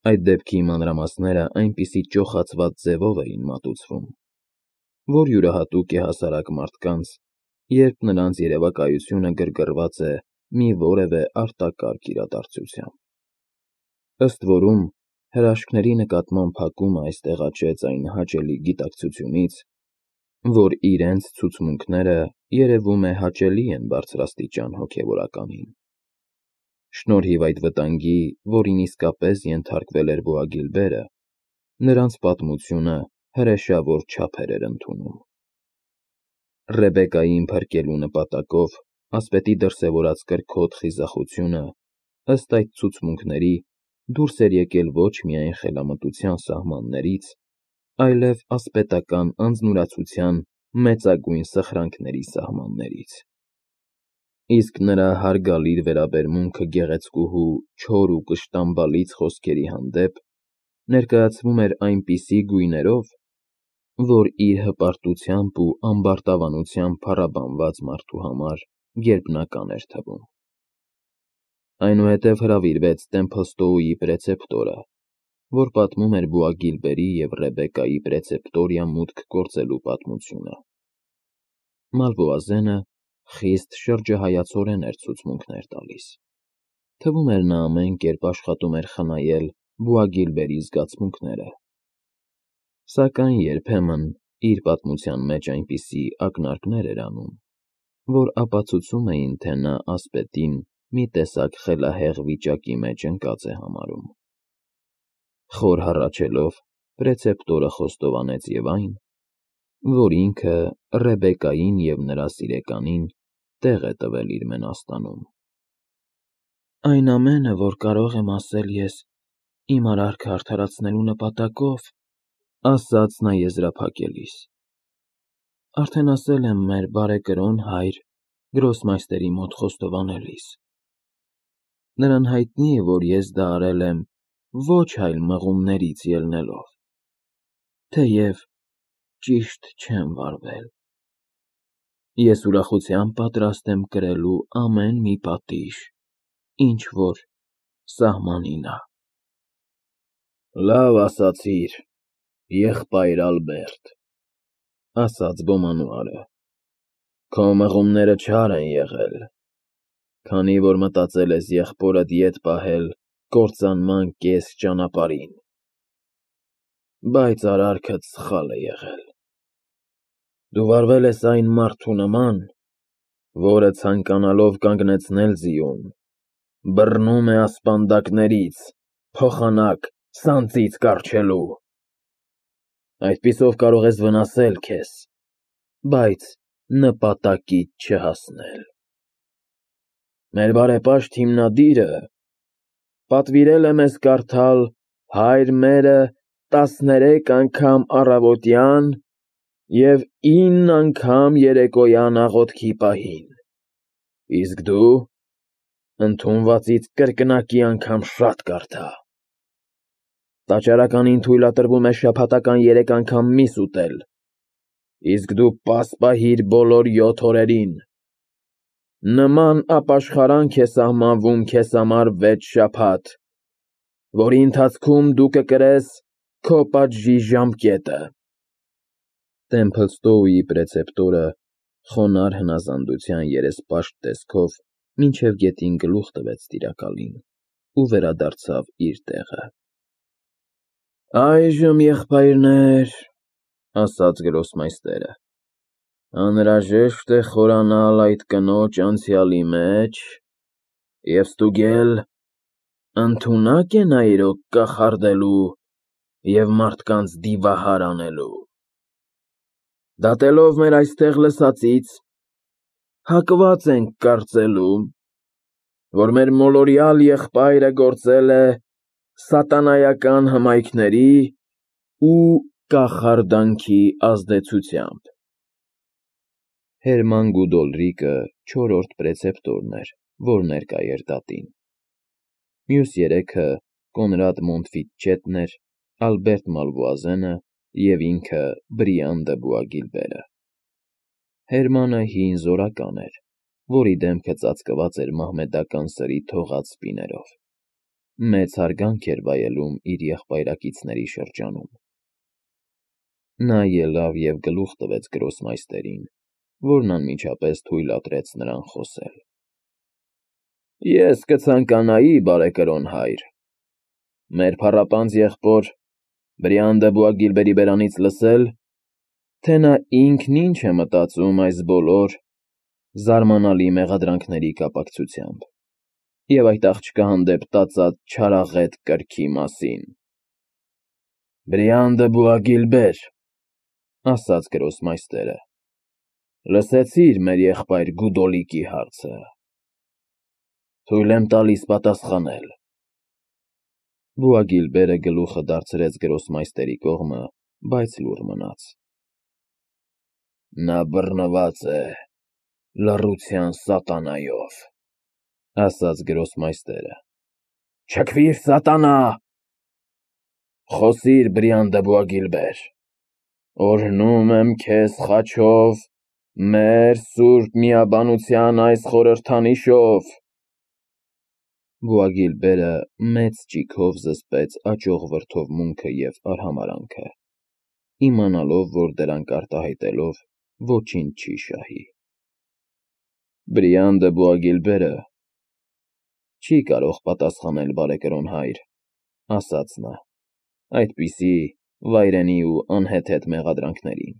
Այդ դեպքի մանրամասները այնպիսի ճոխացված ձևով էին մատուցվում, որ յուրահատուկ է հասարակ մարդկանց, երբ նրանց երևակայությունը գրգռված է մի որևէ արտակարգ իրադարձությամբ։ Ըստ որում, հրաշքների նկատմամբ փակումը այստեղ աճեց այն հաճելի գիտակցությունից, որ իրենց ցուցմունքները երևում է հաճելի են բարձրաստիճան հոգևորականին։ Շնորհիվ այդ վտանգի, որին իսկապես ենթարկվել էր Բոագիլբերը, նրանց պատմությունը հրեշավոր չափեր էր ընդունում։ Ռեբեկային փրկելու նպատակով ասպետի դրսևորած կրքոտ խիզախությունը, ըստ այդ ցուցմունքների, դուրս էր եկել ոչ միայն խելամտության սահմաններից, այլև ասպետական անձնուրացության մեծագույն սխրանքների սահմաններից։ Իսկ նրա հարգալից վերաբերմունքը գեղեցկուհու չոր ու կշտամբալից խոսքերի հանդեպ ներկայացվում էր այնպիսի գույներով, որ իր հպարտությամբ ու ամբարտավանությամբ փառաբանված մարդու համար գերբնական էր թվում։ Այնուհետև հրավիրվեց Տեմփլստոուի պրեցեպտորը, որ պատմում էր Բոագիլբերի և Ռեբեկայի պրեցեպտորիա մուտք գործելու պատմությունը։ Մալվոազենը խիստ շրջահայացորեն էր ցուցմունքներ տալիս։ Թվում էր նա ամեն կերպ աշխատում էր խնայել Բոագիլբերի զգացմունքները։ Սակայն երբեմն իր պատմության մեջ այնպիսի ակնարկներ էր անում, որ ապացուցում էին, թե նա ասպետին մի տեսակ խելահեղ վիճակի մեջ ընկած է համարում։ Խոր հառաչելով, պրեցեպտորը խոստովանեց և այն, որ ինքը Ռեբեկային և նրա սիրեկանին տեղ է տվել իր մենաստանում։ «Այն ամենը, որ կարող եմ ասել ես իմ արարքը արդարացնելու նպատակով,֊ ասաց նա եզրափակելիս,֊ արդեն ասել եմ մեր բարեկրոն հայր Գրոսմայստերի մոտ խոստովանելիս։ Նրան հայտնի է, որ ես դա արել եմ ոչ այլ մղումներից ելնելով, թեև ճիշտ չեմ վարվել։ Ես ուրախությամբ պատրաստ եմ կրելու ամեն մի պատիժ, ինչ որ սահմանին ա»։ «Լավ ասացիր, եղբայր Ալբերտ,֊ ասաց բոմանուարը,֊ քո մղումները չար են եղել, քանի որ մտածել ես եղբորդ ետ պահել կործանման կես ճանապարհին, բայց արարքդ սխալ է եղել։ Դու վարվել ես այն մարդու նման, որը ցանկանալով կանգնեցնել ձիուն, բռնում է ասպանդակներից, փոխանակ սանձից կառչելու։ Այդպիսով կարող ես վնասել քեզ, բայց նպատակիդ չհասնել։ Մեր բարեպաշտ հիմնադիրը պատվիրել է մեզ կարդալ «Հայր մերը» 13 անգամ առավոտյան և 9 անգամ երեկոյան աղոթքի պահին, իսկ դու ընդունվածից կրկնակի անգամ շատ կարդա։ Տաճարականին թույլատրվում է շաբաթական 3 անգամ միս ուտել, իսկ դու պաս պահիր բոլոր 7 օրերին։ Նման ապաշխարանք է սահմանվում քեզ համար 6 շաբաթ, որի ընթացքում դու կկրես քո պատժի ժամկետը»։ Տեմփլստոուի պրեցեպտորը խոնարհ հնազանդության երեսպաշտ տեսքով մինչև գետին գլուխ տվեց տիրակալին ու վերադարձավ իր տեղը։ «Այժմ, եղբայրներ,֊ ասաց Գրոսմայստերը,֊ անհրաժեշտ է խորանալ այդ կնոջ անցյալի մեջ և ստուգել, ընդունա՞կ է նա իրոք կախարդելու և մարդկանց դիվահար անելու։ Դատելով մեր այստեղ լսածից, հակված ենք կարծելու, որ մեր մոլորյալ եղբայրը գործել է սատանայական հմայքների ու կախարդանքի ազդեցությամբ»։ Հերման Գուդոլրիկը 4-րդ պրեցեպտորն էր, որ ներկա էր դատին։ Մյուս երեքը Կոնրադ Մոնտֆիտչետն էր, Ալբերտ Մալվոազենը և ինքը Բրիան դը Բոագիլբերը։ Հերմանը հին զորական էր, որի դեմքը ծածկված էր մահմեդական սրի թողած սպիներով։ մեծ հարգանք էր վայելում իր եղբայրակիցների շրջանում։ Նա ելավ և գլուխ տվեց գրոսմայստերին, որն անմիջապես թույլատրեց նրան խոսել։ Ես կցանկանայի, բարեկրոն հայր, մեր փառապանծ եղբոր Բրիան դը Բուագիլբերի բերանից լսել, թե նա ինքն ինչ է մտածում այս բոլոր զարմանալի մեղադրանքների կապակցությամբ և այդ աղջկա հանդեպ տածած չարաղետ կրքի մասին։ Բրիան դը Բուագիլբեր, ասաց գրոսմայստերը, լսեցի՞ր մեր եղբայր Գուդոլիկի հարցը։ Թույլ եմ տալիս պատասխանել։ Բուագիլբերը գլուխը դարձրեց գրոսմայստերի կողմը, բայց լուռ մնաց։ Նա բռնված է լռության սատանայով, ասաց գրոսմայստերը։ Չքվիր, սատանա, խոսիր, Բրիան դը Բուագիլբեր, օրհնում եմ քեզ խաչով մեր սուրբ միաբանության այս խորհրդանիշով։ Բուագիլբերը մեծ ճիգով զսպեց աճող վրդովմունքը և արհամարհանքը, իմանալով, որ դրանք արտահայտելով ոչինչ չի շահի։ Բրիան դը Բուագիլբերը չի կարող պատասխանել, բարեկրոն հայր, ասաց նա, այդպիսի վայրենի ու անհեթեթ մեղադրանքներին։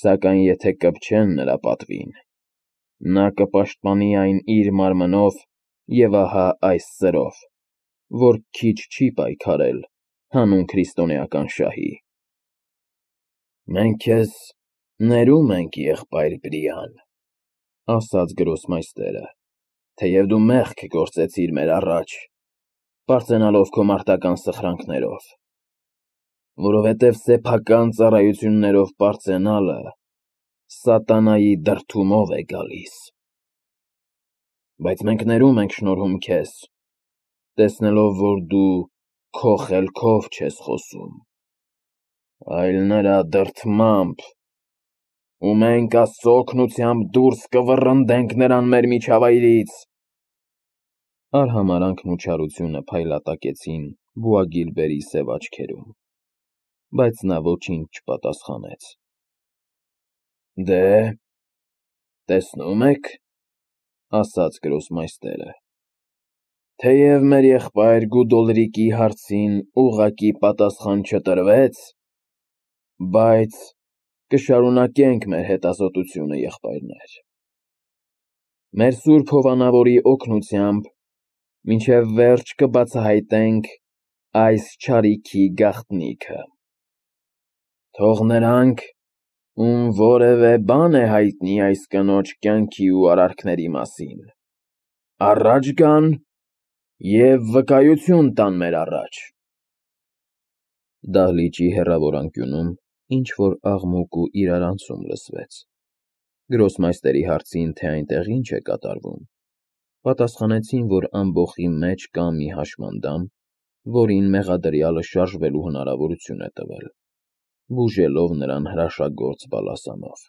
Սակայն եթե կպչեն նրա պատվին, նա կպաշտպանի այն իր մարմնով և ահա այս սրով, որ քիչ չի պայքարել հանուն քրիստոնեական շահի։ Մենք քեզ ներում ենք, եղբայր Բրիան, ասաց գրոսմայստերը, թեև դու մեղք գործեցիր մեր առաջ, պարծենալով քո մարտական սխրանքներով, որովհետև սեփական ծառայություններով պարծենալը սատանայի դրդումով է գալիս։ Բայց մենք ներում ենք շնորհում քեզ, տեսնելով, որ դու քո խելքով չես խոսում, այլ նրա դրդմամբ, ու մենք Աստծո օգնությամբ դուրս կվռնդենք նրան մեր միջավայրից։ Արհամարհանքն ու չարությունը փայլատակեցին Բուագիլբերի սև աչքերում, բայց նա ոչինչ չպատասխանեց։ Դե, տեսնում եք, ասաց գրոսմայստերը, թեև մեր եղբայր Գուդոլրիկի հարցին ուղղակի պատասխան չտրվեց, բայց կշարունակենք մեր հետազոտությունը, եղբայրներ։ Մեր սուրբ հովանավորի օգնությամբ մինչև վերջ կբացահայտենք այս չարիքի գաղտնիքը։ Թող նրանք, ում որևէ բան է հայտնի այս կնոջ կյանքի ու արարքների մասին, առաջ գան և վկայություն տան մեր առաջ։ Դահլիճի հեռավոր անկյունում ինչ-որ աղմուկ ու իրարանցում լսվեց։ Գրոսմայստերի հարցին, թե այնտեղ ինչ է կատարվում, պատասխանեցին, որ ամբոխի մեջ կա մի հաշմանդամ, որին մեղադրյալը շարժվելու հնարավորություն է տվել, բուժելով նրան հրաշագործ բալասանով։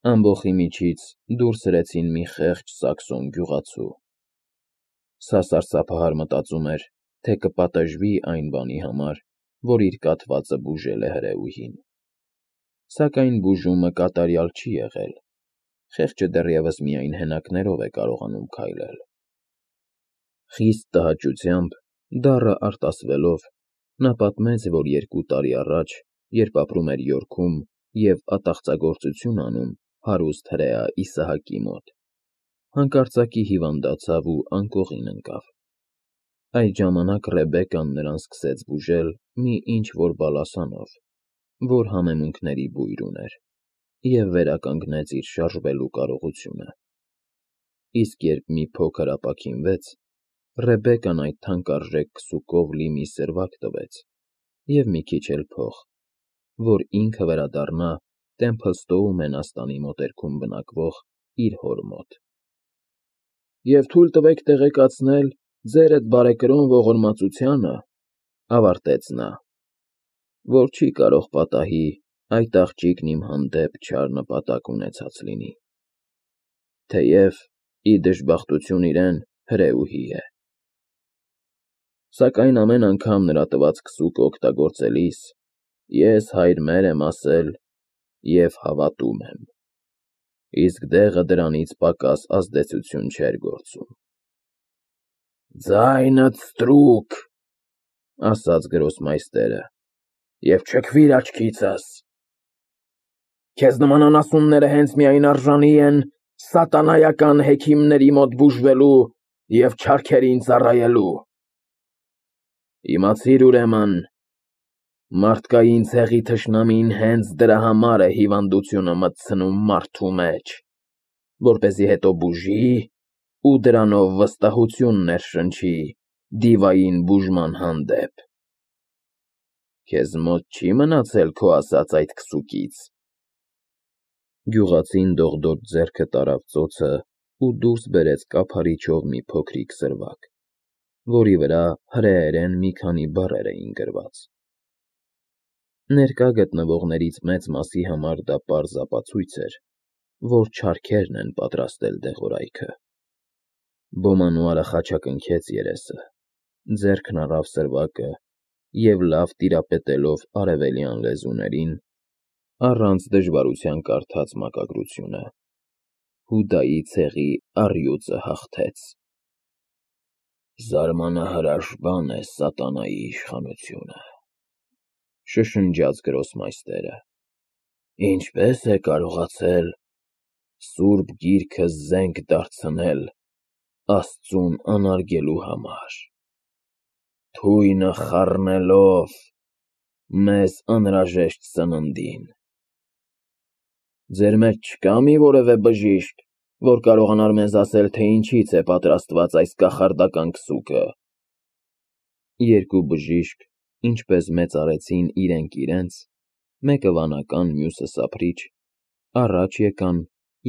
Ամբոխի միջից դուրս հրեցին մի խեղճ սաքսոն գյուղացու։ Սա սարսափահար մտածում էր, թե կպատժվի այն բանի համար, որ իր կաթվածը բուժել է հրեուհին։ Սակայն բուժումը կատարյալ չի եղել, խեղճը դեռևս միայն հենակներով է կարողանում քայլել։ Խիստ տհաճությամբ, դառը արտասվելով, նա պատմեց, որ 2 տարի առաջ, երբ ապրում էր Յորքում և ատաղծագործություն անում հարուստ հրեա Իսահակի մոտ, հանկարծակի հիվանդացավ ու անկողին ընկավ։ Այդ ժամանակ Ռեբեկան նրան սկսեց բուժել մի ինչ-որ բալասանով, որ համեմունքների բույր ուներ, և վերականգնեց իր շարժվելու կարողությունը։ Իսկ երբ մի փոքր ապաքինվեց, Ռեբեկան այդ թանկարժեք քսուկով լի մի սրվակ տվեց և մի քիչ էլ փող, որ ինքը վերադառնա Տեմփլստոու մենաստանի մոտերքում բնակվող իր հոր մոտ։ Եվ թույլ տվեք տեղեկացնել ձեր էդ բարեկրոն ողորմածությանը, ավարտեց նա, որ չի կարող պատահի այդ աղջիկն իմ հանդեպ չար նպատակ ունեցած լինի, թեև, ի դժբախտություն իրեն, հրեուհի է։ Սակայն ամեն անգամ նրա տված քսուկը օգտագործելիս ես հայր մեր եմ ասել և հավատում եմ, իսկ դեղը դրանից պակաս ազդեցություն չէր գործում։ «Ձայնդ ստրուկ,» ասաց գրոսմայստերը, «և չքվիր աչքիցս։ Քեզ նման անասունները հենց միայն արժանի են սատանայական հեքիմների մոտ բուժվելու և չարքերին ծառայելու։ Իմացիր ուրեմն, մարդկային ցեղի թշնամին հենց դրա համար է հիվանդությունը մտցնում մարդու մեջ, որպեսզի հետո բուժի ու դրանով վստահություն ներշնչի դիվային բուժման հանդեպ։ Քեզ մոտ չի մնացել քո ասած այդ քսուկից»։ Գյուղացին դողդոջ ձեռքը տարավ ծոցը ու դուրս բերեց կափարիչով մի փոքրիկ սրվակ, որի վրա հրեերեն մի քանի բառեր էին գրված։ Ներկա գտնվողներից մեծ մասի համար դա պարզ ապացույց էր, որ չարքերն են պատրաստել դեղորայքը։ Բոմանուարը խաչակնքեց երեսը, ձեռքն առավ սրվակը և լավ տիրապետելով արևելյան լեզուներին, առանց դժվարության կարդաց մակագրությունը. «Հուդայի ցեղի առյուծը հաղթեց»։ «Զարմանահրաշ բան է սատանայի իշխանությունը,» շշնջաց գրոսմայստերը։ «Ինչպե՞ս է կարողացել Սուրբ Գիրքը զենք դարձնել Աստծուն անարգելու համար, թույնը խառնելով մեզ անհրաժեշտ սննդին։ Ձեր մեջ չկա՞ մի որևէ բժիշկ, որ կարողանար մեզ ասել, թե ինչից է պատրաստված այս կախարդական քսուկը»։ Երկու բժիշկ, ինչպես մեծարեցին իրենք իրենց, մեկը վանական, մյուսը սափրիչ, առաջ եկան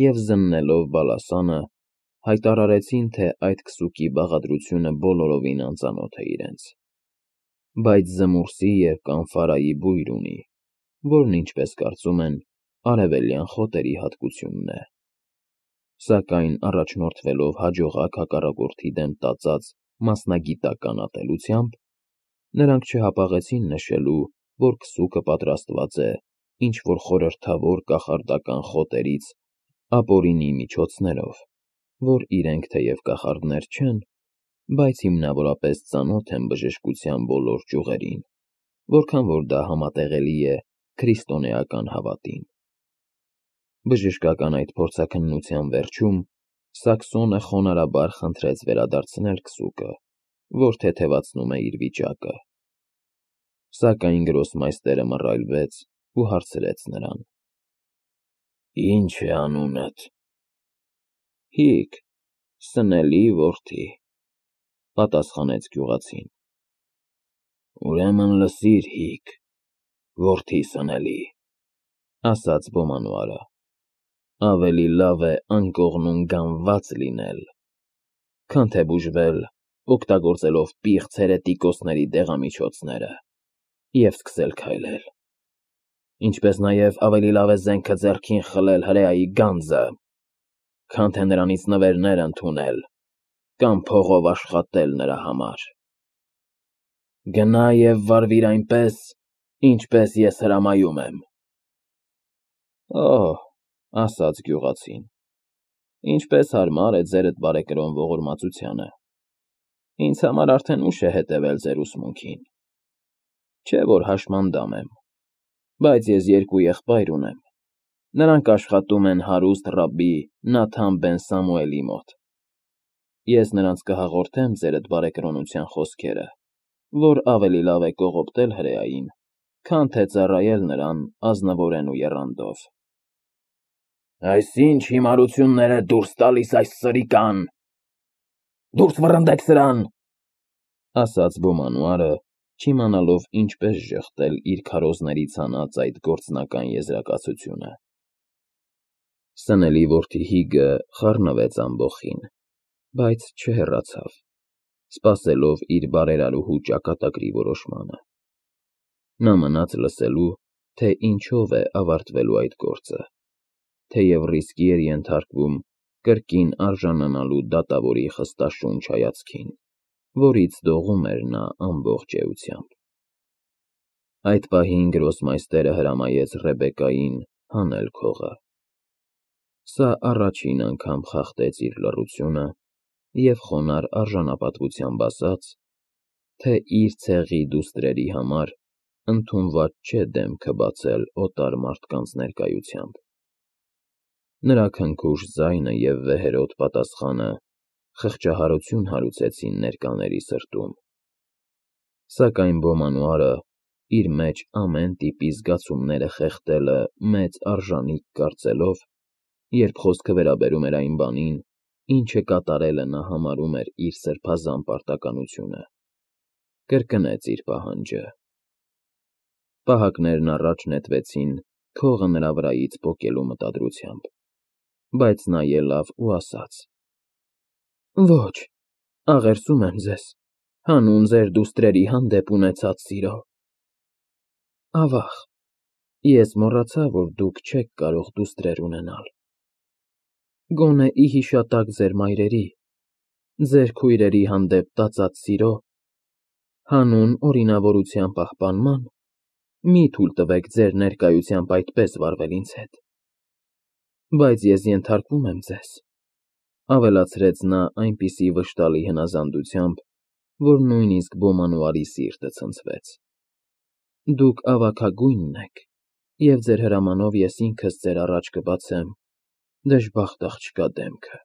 և զննելով բալասանը, հայտարարեցին, թե այդ քսուկի բաղադրությունը բոլորովին անծանոթ է իրենց, բայց զմուրսի և կանֆարայի բույր ունի, որն, ինչպես կարծում են, արևելյան խոտերի հատկությունն է։ Սակայն առաջնորդվելով հաջողակ հակառակորդի դեմ տածած մասնագիտական ատելությամբ, նրանք չհապաղեցին նշելու, որ քսուկը պատրաստված է ինչ-որ խորհրդավոր կախարդական խոտերից ապօրինի միջոցներով, որ իրենք թեև կախարդներ չեն, բայց հիմնավորապես ծանոթ են բժշկության բոլոր ճյուղերին, որքան որ դա համատեղելի է քրիստոնեական հավատին։ Բժշկական այդ փորձաքննության վերջում Սաքսոնը խոնարհաբար խնդրեց վերադարձնել քսուկը, որ թեթևացնում է իր վիճակը։ Սակայն գրոսմայստերը մռայլվեց ու հարցրեց նրան. «Ի՞նչ է անունդ»։ «Հիկ, Սնելի որդի», պատասխանեց գյուղացին։ «Ուրեմն լսիր, Հիկ, որդի Սնելի», ասաց Բոմանուարը, ավելի լավ է անկողնում գանված լինել, քան թե բուժվել օգտագործելով պիղծ հերետիկոսների դեղամիջոցները և սկսել քայլել, ինչպես նաև ավելի լավ է զենքը ձեռքին խլել հրեայի գանձը, քան թե նրանից նվերներ ընդունել կամ փողով աշխատել նրա համար։ Գնա և վարվիր այնպես, ինչպես ես հրամայում եմ»։ «Օհ,» ասաց գյուղացին, «ինչպես հարմար է ձերդ բարեկրոն ողորմածությանը։ Ինձ համար արդեն ուշ է հետևել ձեր ուսմունքին։ Չէ որ հաշմանդամ եմ, բայց ես երկու եղբայր ունեմ, նրանք աշխատում են հարուստ ռաբբի Նաթան բեն-Սամուելի մոտ։ Ես նրանց կհաղորդեմ ձերդ բարեկրոնության խոսքերը, որ ավելի լավ է կողոպտել հրեային, քան թե ծառայել նրան ազնվորեն ու եռանդով»։ «Այս ի՞նչ հիմարություններ է դուրս տալիս այս սրիկան։ Դուրս վռնդեք սրան», ասաց Բոմանուարը, չիմանալով ինչպես ժխտել իր քարոզներից հանած այդ գործնական եզրակացությունը։ Սնելի որդի Հիգը խառնվեց ամբոխին, բայց չհեռացավ, սպասելով իր բարերարուհու ճակատագրի որոշմանը։ Նա մնաց լսելու, թե ինչով է ավարտվելու այդ գործը, թեև ռիսկի էր ենթարկվում կրկին արժանանալու դատավորի խստաշունչ հայացքին։ որից դողում էր նա ամբողջ էությամբ։ Այդ պահին գրոսմայստերը հրամայեց Ռեբեկային հանել քողը։ Սա առաջին անգամ խախտեց իր լռությունը և խոնարհ արժանապատվությամբ ասաց, թե իր ցեղի դուստրերի համար ընդունված չէ դեմքը բացել օտար մարդկանց ներկայությամբ։ Նրա քնքուշ ձայնը և վեհերաս պատասխանը խղճահարություն հարուցեցին ներկաների սրտում։ Սակայն Բոմանուարը, իր մեջ ամեն տիպի զգացումները խեղդելը մեծ արժանիք կարծելով, երբ խոսքը վերաբերում էր այն բանին, ինչը կատարելը նա համարում էր իր սրբազան պարտականությունը, կրկնեց իր պահանջը։ Պահակներն առաջ նետվեցին քողը նրա վրայից պոկելու մտադրությամբ, բայց նա ելավ ու ասաց. «Ոչ, աղերսում եմ ձեզ, հանուն ձեր դուստրերի հանդեպ ունեցած սիրո։ Ավա՜ղ, ես մոռացա, որ դուք չեք կարող դուստրեր ունենալ։ Գոնե ի հիշատակ ձեր մայրերի, ձեր քույրերի հանդեպ տածած սիրո, հանուն օրինավորության պահպանման, մի թույլ տվեք ձեր ներկայությամբ այդպես վարվել ինձ հետ։ Բայց ես ենթարկվում եմ ձեզ», ավելացրեց նա այնպիսի վշտալի հնազանդությամբ, որ նույնիսկ Բոմանուարի սիրտը ցնցվեց։ «Դուք ավագագույնն եք, և ձեր հրամանով ես ինքս ձեր առաջ կբացեմ դժբախտ աղջկա դեմքը»։